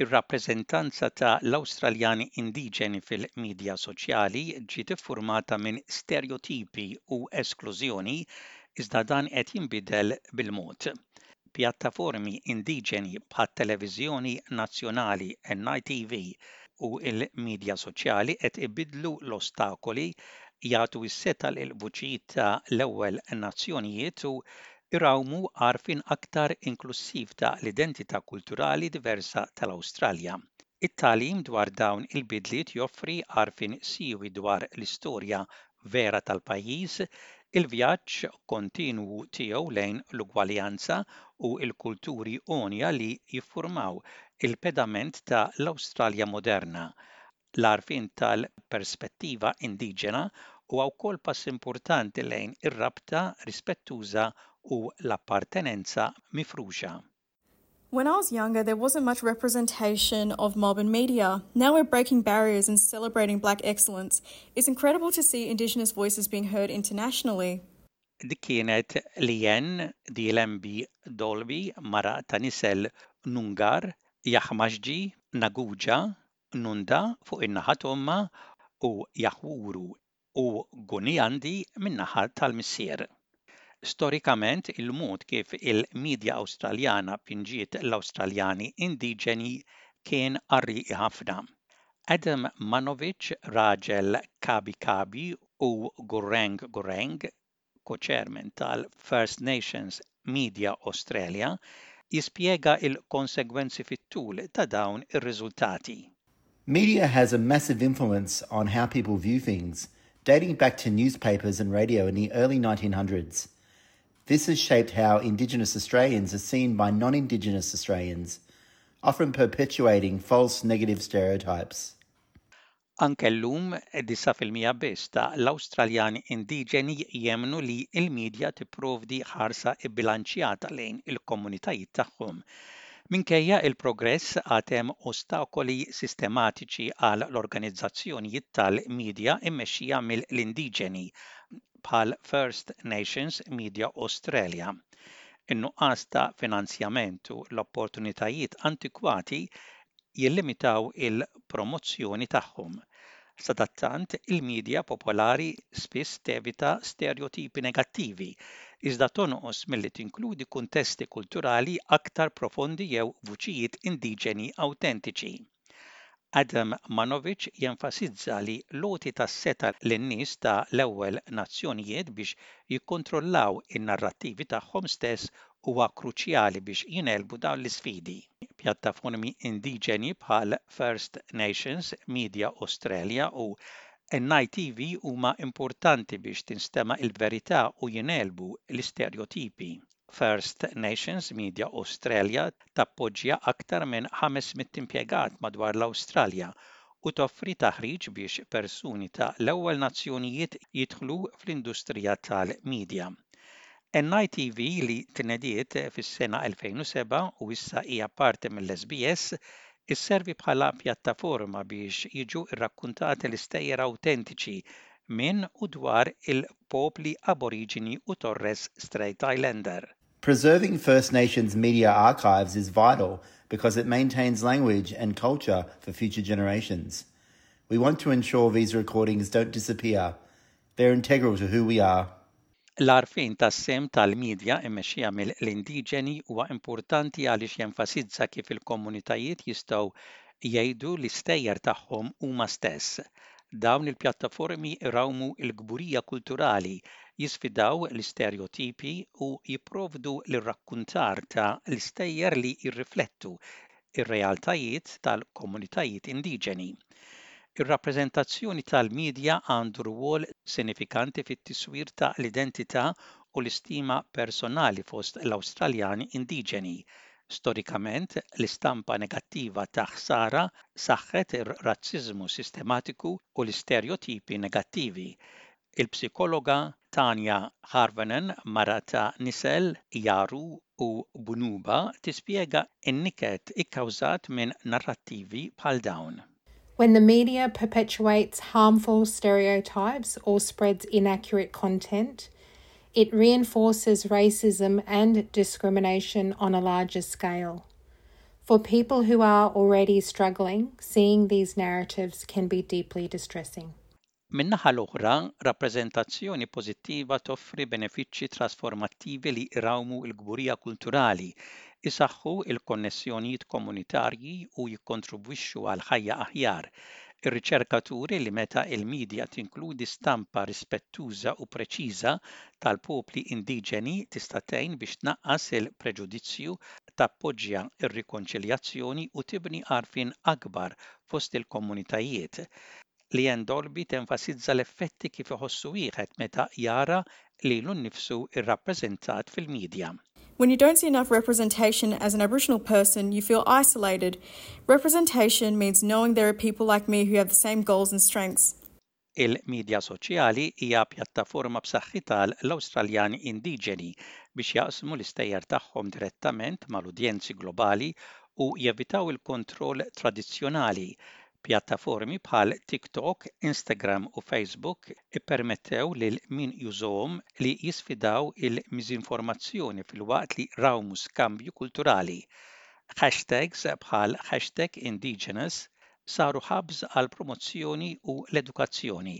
Ir-rappreżentanza ta' l-Awstraljani indiġeni fil-midja soċjali ġiet iffurmata minn sterjotipi u esklużjoni iżda dan qed jinbidel bil-mod. Pjattaformi indiġeni bħat-televiżjoni nazzjonali NITV u l-midja soċjali qed ibiddlu l-ostakoli, jagħtu s-setgħa lill-vuċijiet ta' l-ewwel nazzjonijiet u jrawmu għarfien aktar inklussiv ta' l-identità kulturali diversa tal-Awstralja. It-tagħlim dwar dawn il-bidliet joffri għarfien siewi dwar l-istorja vera tal-pajjiż, il-vjaġġ kontinwu tiegħu lejn l-ugwaljanza u l-kulturi għonja li jiffurmaw il-pedament ta' l-Awstralja moderna. L-għarfien tal-perspettiva indiġena huwa wkoll pass importanti lejn ir-rabta rispettuża u l-appartenenza mifruxa. When I was younger, there wasn't much representation of mob in media. Now we're breaking barriers and celebrating black excellence. It's incredible to see Indigenous voices being heard internationally. Dik kienet Leanne Dielembi Dolby, mara ta' nisel Noongar, Yahmashji, Naguja, Nunda fuq in-naħa t'ommha u Yawuru u Gooniyandi min-naħa tal-missier. Storikament, il-mod kif il-midja Awstraljana pinġiet l-Awstraljani indiġeni kien qarrieqi ħafna. Adam Manovic, raġel Kabi Kabi u Gureng Gureng, co-chairman tal-First Nations Media Australia, jispjega l-konsegwenzi fit-tul ta' dawn ir-riżultati. Media has a massive influence on how people view things, dating back to newspapers and radio in the early 1900s. This has shaped how Indigenous Australians are seen by non-Indigenous Australians, often perpetuating false negative stereotypes. Anke llum, 9% biss ta' l-Awstraljani indiġeni jemmnu li l-midja tipprovdi ħarsa bbilanċjata lejn il-komunitajiet tagħhom. Minkejja l-progress, għad hemm ostakoli sistematiċi għal l-organizzazzjonijiet tal-midja mmexxija mill-indiġeni, bħal First Nations Media Australia. In-nuqqas ta' finanzjament u l-opportunitajiet antikwati jillimitaw il-promozzjoni tagħhom. Sadattant, il-midja popolari spiss tevita stereotipi negattivi, iżda tonqos milli tinkludi kuntesti kulturali aktar profondi jew vuċijiet indiġeni awtentiċi. Adam Manovic jenfasizza li l-għoti tas-setgħa lin-nies ta' l-ewwel nazzjonijiet biex jikkontrollaw in-narrattivi tagħhom stess huwa kruċjali biex jingħelbu dawn l-isfidi. Pjattaformi indiġeni bħal First Nations Media Australia u NITV huma importanti biex tinstema' l-verità u jingħelbu l-isterjotipi. First Nations Media Australia tappoġġja aktar minn 500 impjegat madwar l-Awstralja u toffri taħriġ biex persuni ta' l-ewwel nazzjonijiet jidħlu fl-industrija tal-midja. NITV li tnediet fis-sena 2007 u issa hija parti mill-SBS, isservi bħala pjattaforma biex jiġu rrakkuntati l-istejjer awtentiċi minn u dwar il-popli Aboriġini u Torres Strait Islander. Preserving First Nations media archives is vital because it maintains language and culture for future generations. We want to ensure these recordings don't disappear. They're integral to who we are. L-għarfien tas-sehem tal-midja mmexxija mill-indiġeni huwa importanti għaliex jenfasizza kif il-komunitajiet jistgħu jgħidu l-istejjer tagħhom huma stess. Dawn il-pjattaformi jrawmu l-kburija kulturali, jisfidaw l-isterjotipi u jipprovdu l-irrakkuntar ta' l-istejjer li jirriflettu r-realtajiet tal-komunitajiet indiġeni. Ir-rappreżentazzjoni tal-midja għandu rwol sinifikanti fit-tiswir ta' l-identità u l-istima personali fost l-Awstraljani indiġeni. Storikament, l-istampa negattiva ta' ħsara saħħet ir-razziżmu sistematiku u l-isterjotipi negattivi. Il-psikologa Tanya Karvonen, mara ta' nisel Yawuru u Bunuba, tispjega n-niket ikkawżat minn narrattivi bħal dawn. When the media perpetuates harmful stereotypes or spreads inaccurate content, it reinforces racism and discrimination on a larger scale. For people who are already struggling, seeing these narratives can be deeply distressing. Min-naħa l-oħra, rappreżentazzjoni pożittiva toffri benefiċċji trasformattivi li jrawmu l-kburija kulturali, isaħħu l-konnessjonijiet komunitarji u jikkontribwixxu għal ħajja aħjar. Ir-riċerka turi li meta l-midja tinkludi stampa rispettuża u preċiża tal-popli indiġeni tista' tgħin biex tnaqqas il-preġudizzju, tappoġġja r-rikonċiljazzjoni u tibni għarfien akbar fost il-komunitajiet. Leanne Dolby tenfasizza l-effetti kif iħossu wieħed meta jara lilu nnifsu rrappreżentat fil-midja. When you don't see enough representation as an Aboriginal person, you feel isolated. Representation means knowing there are people like me who have the same goals and strengths. Il-midja soċjali hija pjattaforma b'saħħitha għal l-Awstraljani indiġeni biex jaqsmu l-istejjer tagħhom direttament mal-udjenzi globali u jevitaw il-kontroll tradizzjonali. Pjattaformi bħal TikTok, Instagram u Facebook ippermettew lil min jużahom li jisfidaw il-miżinformazzjoni filwaqt li rawmu skambju kulturali. Hashtags bħal #Indigenous saru hubs għall-promozzjoni u l-edukazzjoni.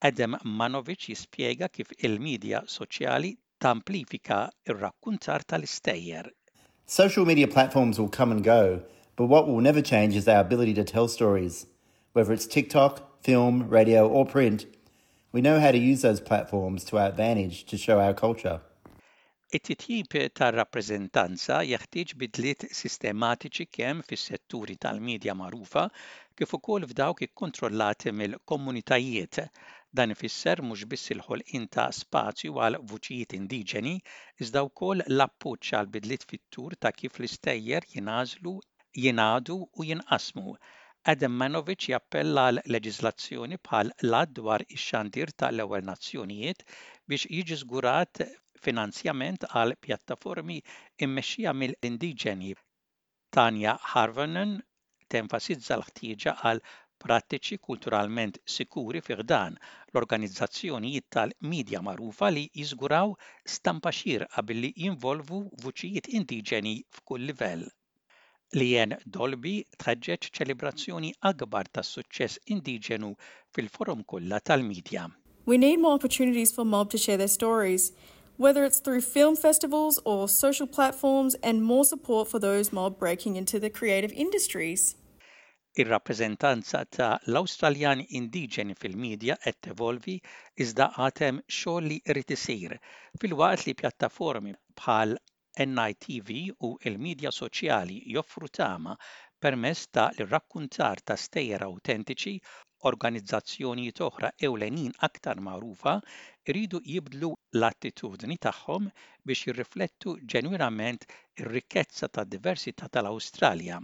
Adam Manovic jispjega kif il-midja soċjali tamplifika r-rakkuntar tal-istejjer. Social media platforms will come and go, but what will never change is our ability to tell stories. Whether it's TikTok, film, radio or print, we know how to use those platforms to our advantage to show our culture. It-titjib tar-rappreżentanza jeħtieġ bidliet sistematiċi kemm fis-setturi tal-midja magħrufa kif ukoll f'dawk ikkontrollati mill-komunitajiet. Dan ifisser mhux biss il-ħolqien ta' spazju għal vuċijiet indiġeni, iżda wkoll l-appoġġ għal bidliet fit-tul ta' kif l-istejjer jingħażlu, jingħadu u jinqasmu. Adam Manovic jappella għal leġiżlazzjoni bħal l-Att dwar ix-Xandir ta' l-Ewwel Nazzjonijiet biex jiġi żgurat finanzjament għal pjattaformi mmexxija mill-indiġeni. Tanya Harvonen tenfasizza l-ħtieġa għal prattiċi kulturalment sikuri fi ħdan l-organizzazzjonijiet tal-midja magħrufa li jiżguraw stampa xierqa billi jinvolvu vuċijiet indiġeni f'kull livell. Leanne Dolby tħeġġeġ ċelebrazzjoni akbar tas-suċċess indiġenu fil-forom kollha tal-midja. We need more opportunities for mob to share their stories, whether it's through film festivals or social platforms and more support for those mob breaking into the creative industries. Ir-rappreżentanza ta' l-Awstraljani indiġeni fil-midja qed tevolvi iżda għad hemm xogħol li jrid isir. Filwaqt li pjattaformi bħal NITV u l-midja soċjali joffru tama permezz ta' l-irrakkuntar ta' stejjer awtentiċi, organizzazzjonijiet oħra ewlenin aktar magħrufa jridu jibdlu l-attitudni tagħhom biex jirriflettu ġenwinament ir-rikkezza tad-diversità tal-Awstralja.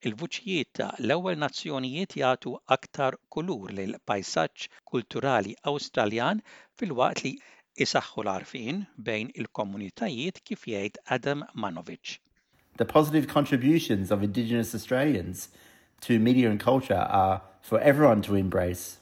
Il-vuċijiet ta' l-Ewwel Nazzjonijiet jagħtu aktar kulur lill-pajsaġġ kulturali Awstraljan filwaqt li jsaħħu l-għarfien bejn il-komunitajiet kif jgħid Adam Manovic. The positive contributions of Indigenous Australians to media and culture are for everyone to embrace.